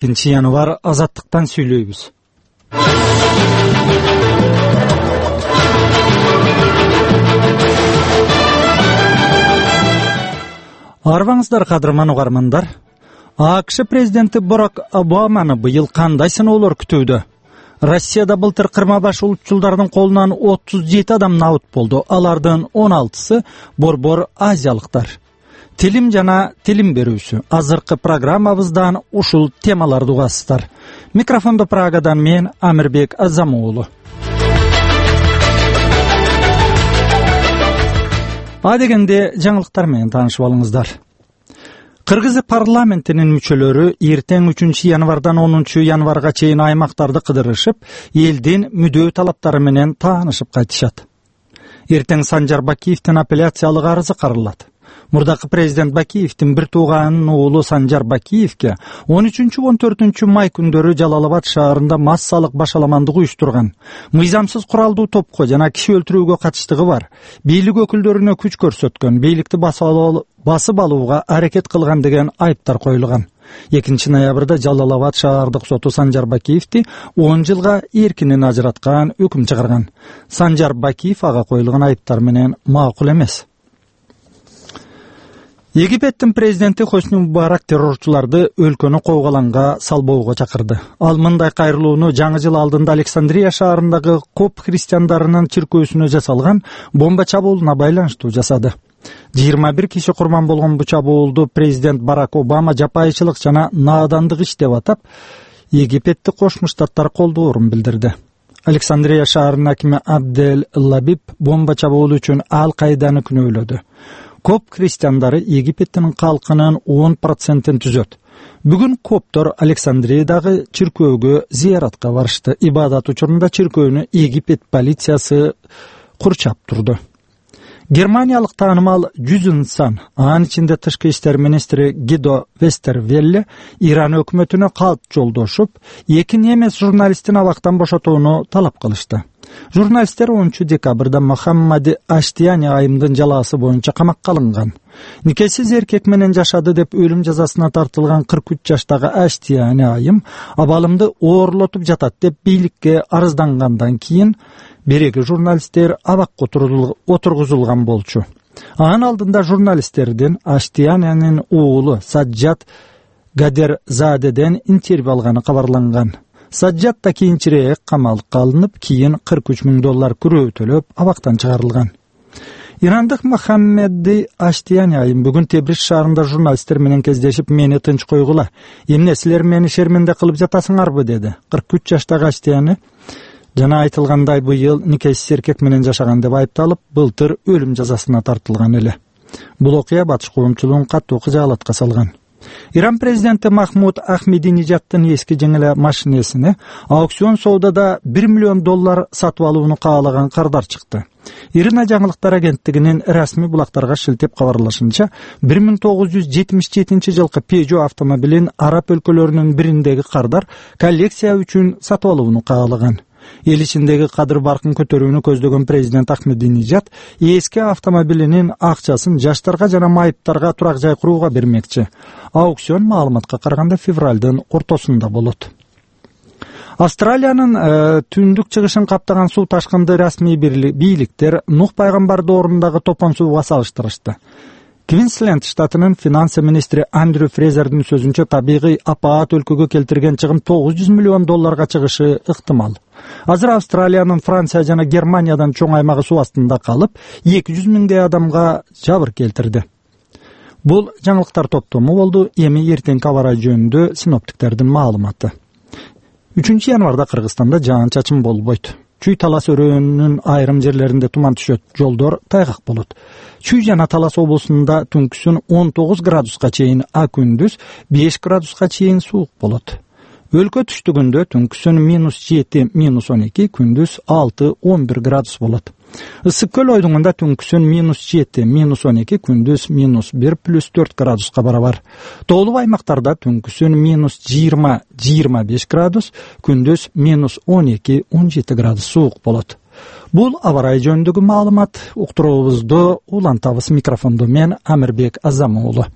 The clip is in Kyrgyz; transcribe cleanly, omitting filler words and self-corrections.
Январ азаттыктан сүйлөйбүз. Арбаңыздар кадырман угармандар. АКШ президенти Барак Обаманы быйыл кандай сыноолор күтүүдө? Россияда былтыр кырма-баш улутчулдардын колунан 37 адам набыт болду. Алардын 16сы борбор азиялыктар. Тилим жана тилим берүүсү. Азыркы программабыздан ушул темаларды угасыздар. Микрофондо Прагадан мен Амирбек Азамуулу. Адегенде жаңылыктар менен таанышып алыңыздар. Кыргыз парламентинин мүчөлөрү эртең 3 январдан 10 январга чейин аймактарды кыдырышып, элдин мүдөө талаптары менен таанышып кайтышат. Эртең Санжар Бакиевдин апелляциялык арызы каралат. Мурдакы президент Бакиевдин бир тууганынын уулу Санжар Бакиевге 13-14 май күндөрү Жалалабад шаарында массалык башаламандык уюштурган, мыйзамсыз куралдуу топко жана киши өлтүрүүгө катыштыгы бар, бийлик өкүлдөрүнө күч көрсөткөн, бийликти басып алууга аракет кылган деген айыптар коюлган. 2 ноябрда Жалалабад шаардык соту Санжар Бакиевди 10 жылга эркинен ажыраткан өкүм чыгарган. Санжар Бакиев ага коюлган айыптар менен макул эмес. Египеттин президенти Хосни Мубарак террорчуларды өлкөнү койголамга салбоого чакырды. Ал мындай кайрылууну жаңы жыл алдында Александрия шаарындагы коп христиандарынын чиркөөсүнө жасалган бомба чабуулуна байланыштуу жасады. 21 киши курман болгон бул чабуулду президент Барак Обама жапайычылык жана наадандык иш деп атап, Египетти Кошмо Штаттар колдоорун билдирди. Александрия шаарынын акими Абдель Лабиб бомба чабуулу үчүн Ал-Каиданы күнөөлөдү. Коп христиандары Египеттин калкынын 10%-ин түзөт. Бүгүн коптор Александриядагы чиркөөгө зыяратка барышты. Ибадат учурунда чиркөөнү Египет полициясы курчап турду. Германиялык таанымал 100 инсан, анын ичинде тышкы иштер министри Гидо Вестервелле Иран өкмөтүнө калп жолдошуп, 2 немес журналисттин абактан бошотууну талап кылышты. Журналисттер 10 декабрда Мохаммади Аштияни айымдын жалаасы боюнча камакка алынган. Никесиз эркек менен жашады деп өлүм жазасына тартылган 43 жаштагы Аштияни айым абалымды оорлотуп жатат деп бийликке арыздангандан кийин береги журналисттер абакка отургузулган болчу. Анын алдында журналисттердин Аштиянинин уулу Саджат Гадерзадеден интервью алганы кабарланган. Саджат да кийинчерээк камалга алынып, кийин $43,000 күрөө төлөп абактан чыгарылган. Ирандык Мохаммеди Аштияни айым бүгүн Тебриз шаарында журналисттер менен кездешип, мени тынч койгула, эмне силер мени шерменде кылып жатасыңарбы деди. 43 жаштагы Аштияни жана айтылгандай быйыл никесиз эркек менен жашаган деп айыпталып, былтыр өлүм жазасына тартылган эле. Бул окуя батыш коомчулугун катуу кыжаалатка салган. Иран президенти Махмуд Ахмединежаддын эски жеңил машинесине аукцион соодада $1 миллион сатып алууну каалаган кардар чыкты. Ирина жаңылыктар агенттигинин расмий булактарга шилтеп кабарлашынча, 1977 жылкы Peugeot автомобилин араб өлкөлөрүнүн бириндеги кардар коллекция үчүн сатып алууну каалаган. Эл ичиндеги кадыр баркын көтөрүүнү көздөгөн президент Ахмединежад эски автомобилинин акчасын жаштарга жана майыптарга турак жай курууга бермекчи. Аукцион маалыматка караганда февралдын ортосунда болот. Австралиянын түндүк чыгышын каптаган суу ташкынды расмий бийликтер Нух пайгамбарды ордундагы топон сууга салыштырышты. Квинсленд штатынын финансы министри Андрю Фрезердин сөзүнчө, табигый апаат өлкөгө келтирген чыгым $900 миллион чыгышы ыктымал. Азыр Австралиянын Франция жана Германиядан чоң аймагы суу астында калып, 200 миңдей адамга жабыр келтирди. Бул жаңылыктар топтому болду. Эми эртеңки аба ырайы жөнүндө синоптиктердин маалыматы. 3 январда Кыргызстанда жаан-чачын болбойт. Чүй Талас өрөөнүнүн айрым жерлеринде туман түшөт, жолдор тайгак болот. Чүй жана Талас облусунда түнкүсүн 19 градуска чейин, а күндүз 5 градуска чейин суук болот. Өлкө түштүгүндө түнкүсүн -7, -12, күндүз 6-11 градус болот. Ысык көл ойдуңунда түнкүсүн -7, -12, күндүз -1+4 градуска барабар. Тоолуу аймактарда түнкүсүн -20-25 градус, күндүз -12-17 градус суук болот. Бул аба ырайы жөнүндөгү маалымат. Уктуруубузду улантабыз. Микрофондо мен Амирбек Азамуулу.